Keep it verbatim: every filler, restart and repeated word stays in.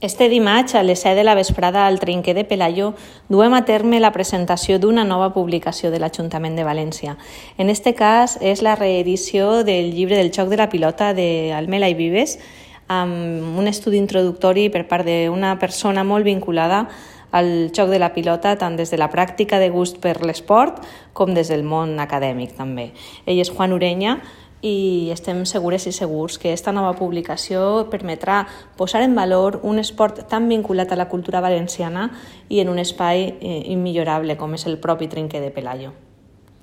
Este dimarts, a les set de la vesprada, al Trinquer de Pelayo, duem a terme la presentació d'una nova publicació de l'Ajuntament de València. En este cas, és la reedició del llibre del xoc de la pilota d'Almela i Vives, amb un estudi introductori per part d'una persona molt vinculada al xoc de la pilota, tant des de la pràctica de gust per l'esport com des del món acadèmic també. Ell és Juan Ureña, i estem segures i segurs que aquesta nova publicació permetrà posar en valor un esport tan vinculat a la cultura valenciana i en un espai immillorable com és el propi Trinquer de Pelayo.